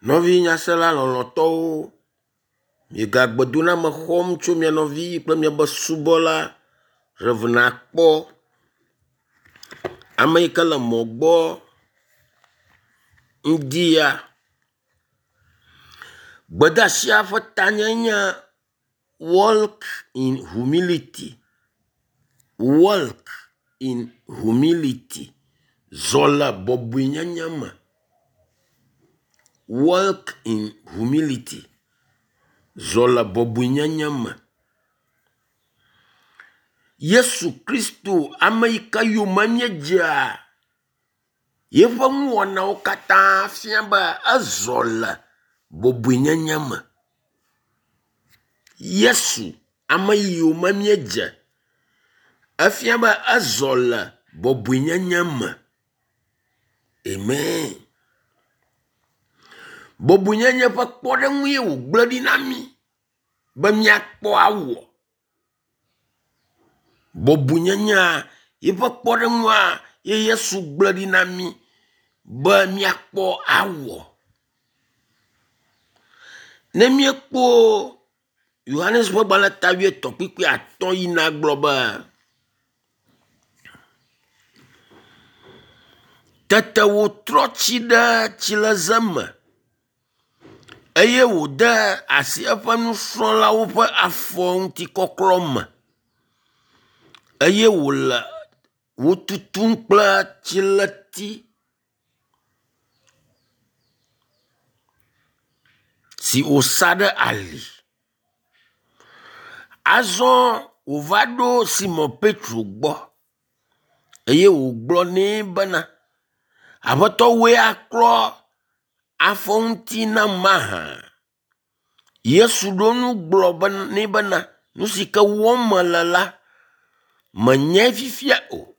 Nɔvi nyasela lɔlɔ̃tɔwo, miega gbedoname xɔm tso mia nɔvi kple miabe subɔla Rev. Akpɔ. Ame yi ke le mɔ gbɔ ŋdi ya. Gbedeasia ƒe tanyae nye “Walk in humility, walk in humility” zɔ le bɔbɔenyenye me. Walk in humility, zɔ le bɔbɔenyenye me. Yesu Kristo ame yi ke yome míedzea, yiƒe nuwɔnawo katã fia be ezɔ le bɔbɔenyenye me. Yesu ame yi yome míedze, efia be ezɔ le bɔbɔenyenye me. Amen. Bɔbɔenyenye ƒe kpɔɖeŋue wògblẽ ɖi na mí be míakpɔ awɔ. Bɔbɔenyenyea yiƒe kpɔɖeŋua ye Yesu gblẽ ɖi na mí be míakpɔ awɔ. Ne míekpɔ Yohanes ƒe gbalẽ ta wuietɔ̃ kpukpui atɔ̃ yina gblɔ be, Tete wòtrɔ tsi ɖe tsileze me eye wòde asi eƒe nusrɔ̃lawo ƒe afɔ ŋutikɔklɔ me eye wòle wo tutum kple tsileti si wòsa ɖe ali. Azɔ wòva ɖo Simɔn Petro gbɔ eye wògblɔ nɛ bena, Aƒetɔ wòe aklɔ afɔ ŋuti nam mahã? Yesu ɖo eŋu gblɔ nɛ bena, nu si ke wɔm mele la, mènyae fifia o,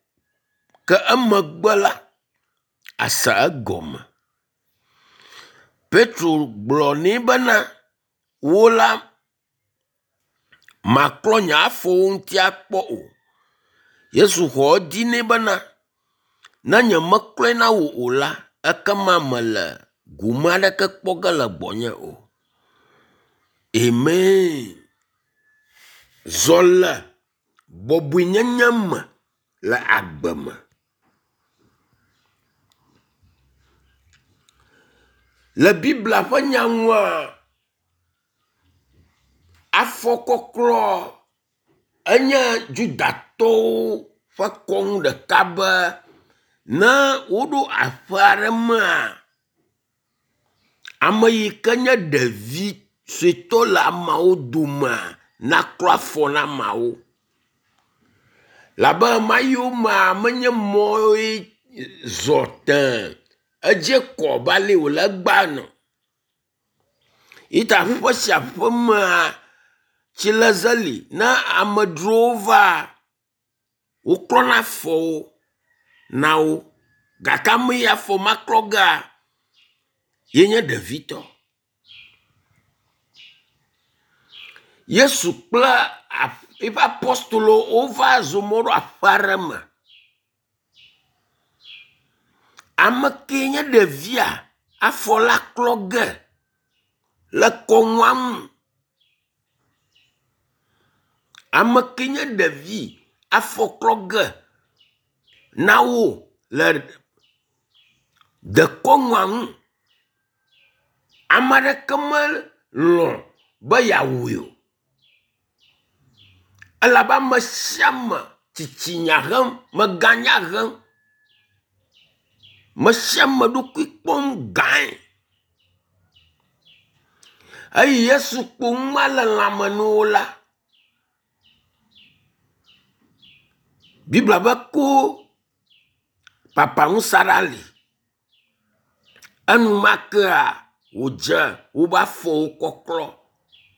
ke emegbe la, àse egɔme. Petro gblɔ nɛ bena, wò la, màklɔ nye afɔwo ŋuti akpɔ o. Yesu xɔ edzi nɛ bena, ne nyemeklɔe na wò o la, ekema mèle gome aɖeke kpɔ ge le gbɔnye o. Amen. Zɔ le bɔbɔenyenye me le agbe me. Le Biblia ƒe nya nua, afɔkɔklɔ enye Judatɔwo ƒe kɔnu ɖeka be ne woɖo aƒe aɖe mea, ame yi ke nye ɖevi suetɔ le ameawo domea naklɔ afɔ na ameawo. Labe ɣemaɣiwo mea menye mɔe zɔ tee edze kɔ abe ale wòle egbea ene o. Yi ta aƒe sia aƒe mea, tsileze li ne amedzrowo va, woklɔna afɔwo na wo gake ame yi afɔ ma klɔ gea, ye nye ɖevitɔ. Yesu kple eƒe apɔstolowo wova zɔ mɔ ɖo aƒe aɖe me. Ame kee nye ɖevia afɔ la klɔ ge le kɔnua nu. Ame kee nye ɖevi afɔ klɔ ge na wo le dekɔnua nu. Ame aɖeke melɔ̃ be yeawɔe o elabe ame sia ame tsitsinya hem, meganya hem. Me sia ame ɖokui kpɔm gãe. Eyi Yesu kpo nua le lãme na wo la, Biblia be ko papaŋusa ɖe ali. Enumakea wòdze wobe afɔwo kɔklɔ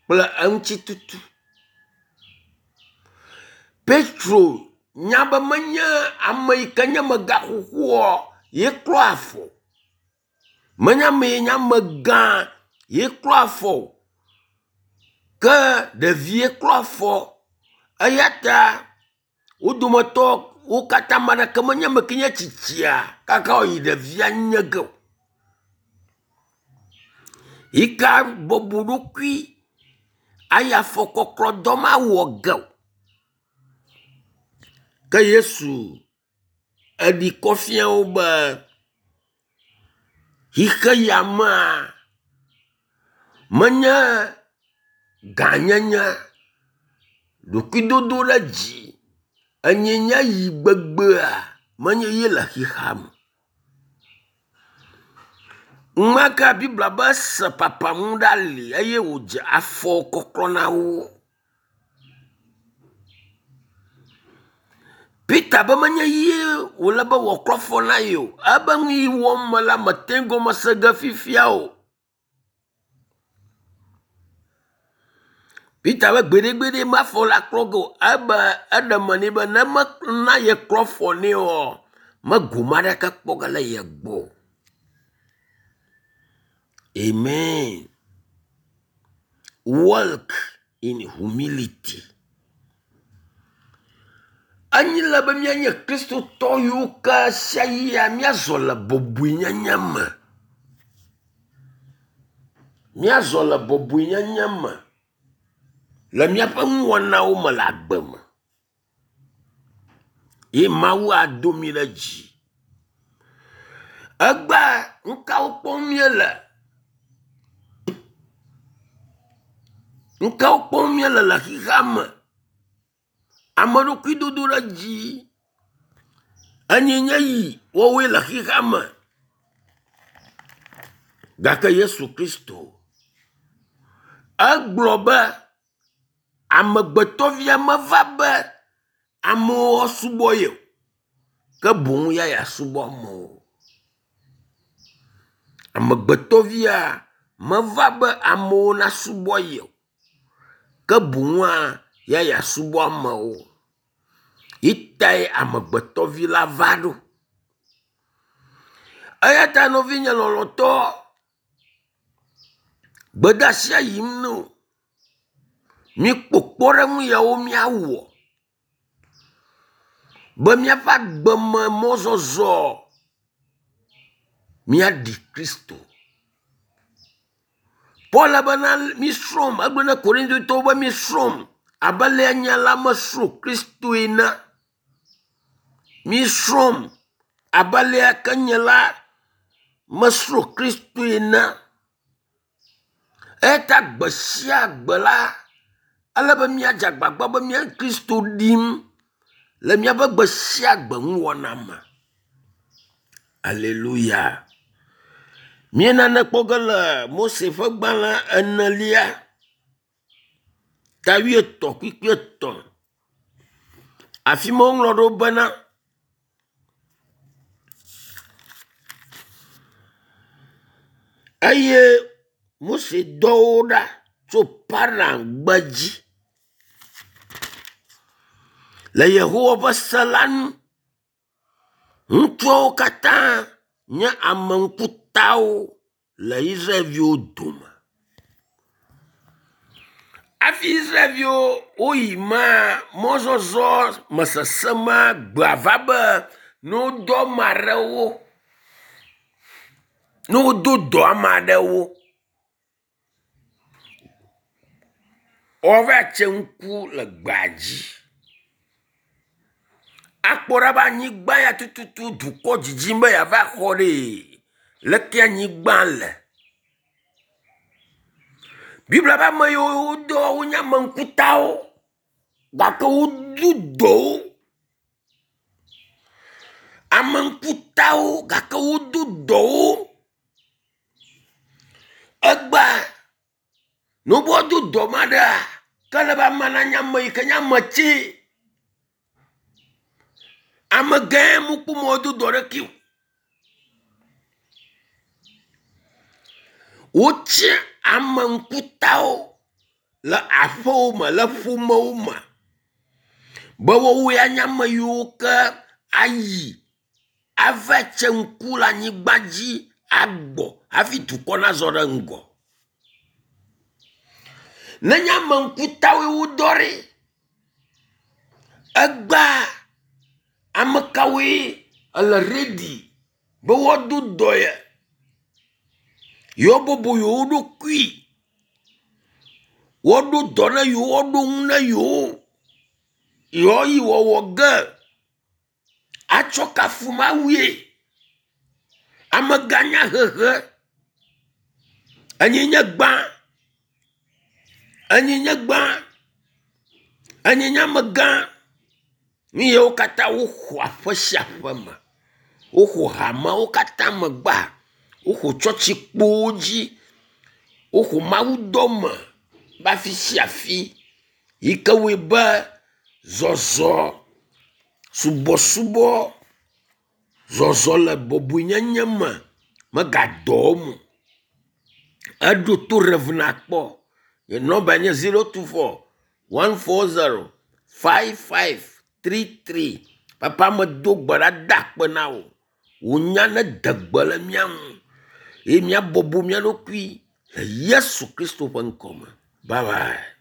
kple eŋuti tutu. Petro nya be menye ame yi ke nye amegã xoxoa ye klɔ afɔ o. Menye ame yi nye amegã ye klɔ afɔ o. Ke ɖevie klɔ afɔ eya ta wo dometɔ wo katã ame aɖeke menye ame ke nye tsitsia kaka wòyi ɖevia nye ge o. Yi ke bɔbɔ ɖokui ayi afɔkɔklɔdɔ ma wɔ ge o. Ke Yesu eɖi kɔ fia wo be xixe ya mea menye gãnyenye, ɖokuidodo ɖe dzi, enyenye yi gbegbea menye ye le xexea me. Ŋmaka Biblia be ese papamu ɖe ali eye wòdze afɔ kɔklɔ na wo. Peter be menye ye wòle be wòaklɔ afɔ na ye o. Ebe nu yi wɔm mele mete gɔme se ge fifia o. Peter be gbeɖegbeɖe mafɔ la klɔ ge o. Ebe eɖe me nɛ be ne mena yeklɔ afɔ nɛ oa, me gome aɖeke kpɔ ge le ye gbɔ o. Amen. Walk in humility. Enyi le be míanye Kristotɔ yiwo ke sia yia míazɔ le bɔbɔenyenye me. Míazɔ le bɔbɔenyenye me le míaƒe nuwɔnawo me le agbe me. Ye Mawu ado mí ɖe dzi. Egbea nu kawo kpɔm míele? Nu kawo kpɔm míele le xexea me? Ame ɖokui dodo ɖe dzi enye nye yi woawoe le xexea me. Gake Yesu Kristo egblɔ be amegbetɔvia meva be amewo woasubɔ ye o, ke boŋ ya yeasubɔ amewo. Amegbetɔvia meva be amewo nasubɔ ye o, ke boŋua ya yeasubɔ amewo. Yi tae amegbetɔvi la va ɖo. Eya ta nɔvinye lɔlɔ̃tɔ, gbedeasia yim ne wò. Míkpɔ kpɔɖeŋu yawo míawɔ be míaƒe agbeme mɔzɔzɔ míaɖi Kristo. Paul bena mísrɔ̃m, egblɔ na Korintotɔwo be mísrɔ̃m abe alea nye la mesrɔ̃ Kristoe ene. Mísrɔ̃m abe alea ke nye la mesrɔ̃ Kristoe ene. Eya ta gbe sia gbe la, ele be míadze agbagba be mía Kristo ɖim le míaƒe gbe sia gbe nuwɔna me. Aleluya. Míenane kpɔ ge le Mose ƒe gbalẽ enelia ta wuietɔ̃ kpukpui etɔ̃. Afi ma woŋlɔ ɖo bena eye Mose dɔ wo ɖa tso Paran gbedzi le Yehowa ƒe se la nu. Ŋutsuawo katã nye ame ŋkutawo le Israelviwo dome. Hafi Israelviwo woyi ma mɔzɔzɔ me sesẽ ma gbea va be ne wodɔ ame aɖewo, ne wodo dɔ ame aɖewo woava tse ŋku le gbea dzi. Akpɔ ɖa be anyigba ya tututu dukɔ dzidzim be yeava xɔ ɖee, leke anyigba le. Biblia be ame yiwo wodɔ wonye ame ŋkutawo gake wodo dɔ wo. Ame ŋkutawo gake wodo dɔ wo. Egbea ne wobe woado dɔ ame aɖea, ke ele be amea nanye ame yi ke nye ame tsɛ. Ame gãe mekpɔ mɔ ado dɔ ɖekɛ o. Wotsi ame ŋkutawo le aƒewo me le ƒomewo me be woawoe anye ame yiwo ke ayi ava tse ŋku le anyigba dzi agbɔ hafi dukɔ nazɔ ɖe ŋgɔ. Nenye ame ŋkutawoe wodɔ ɖi, egbea ame kawoe ele redi be woado dɔ ye? Yewoabɔbɔ yewo ɖokui. Woaɖo dɔ na yewo, woaɖo nu na yewo. Yewoayi wɔwɔ ge atsɔ kafu Mawue. Amegã nyahehe enye nye gbã, enye nye gbã, enye nye amegã. Nu yawo katã woxɔ aƒe sia aƒe me. Woxɔ hamewo katã me gbã. Woxɔ tsɔtsikpowo dzi. Woxɔ mawudɔ me be afi sia afi yi ke wɔe be zɔzɔ, subɔsubɔ, zɔzɔ le bɔbɔenyenye me megadɔ wɔm o. Eɖo to Rev. Akpɔ. Nye nɔmba nye 024 140 5533. Papa medo gbe ɖa da akpe na wò. Wò nya nede gbe le mía ŋu eye míabɔbɔ mía ɖokui le Yesu Kristo ƒe ŋkɔ me. Bye bye.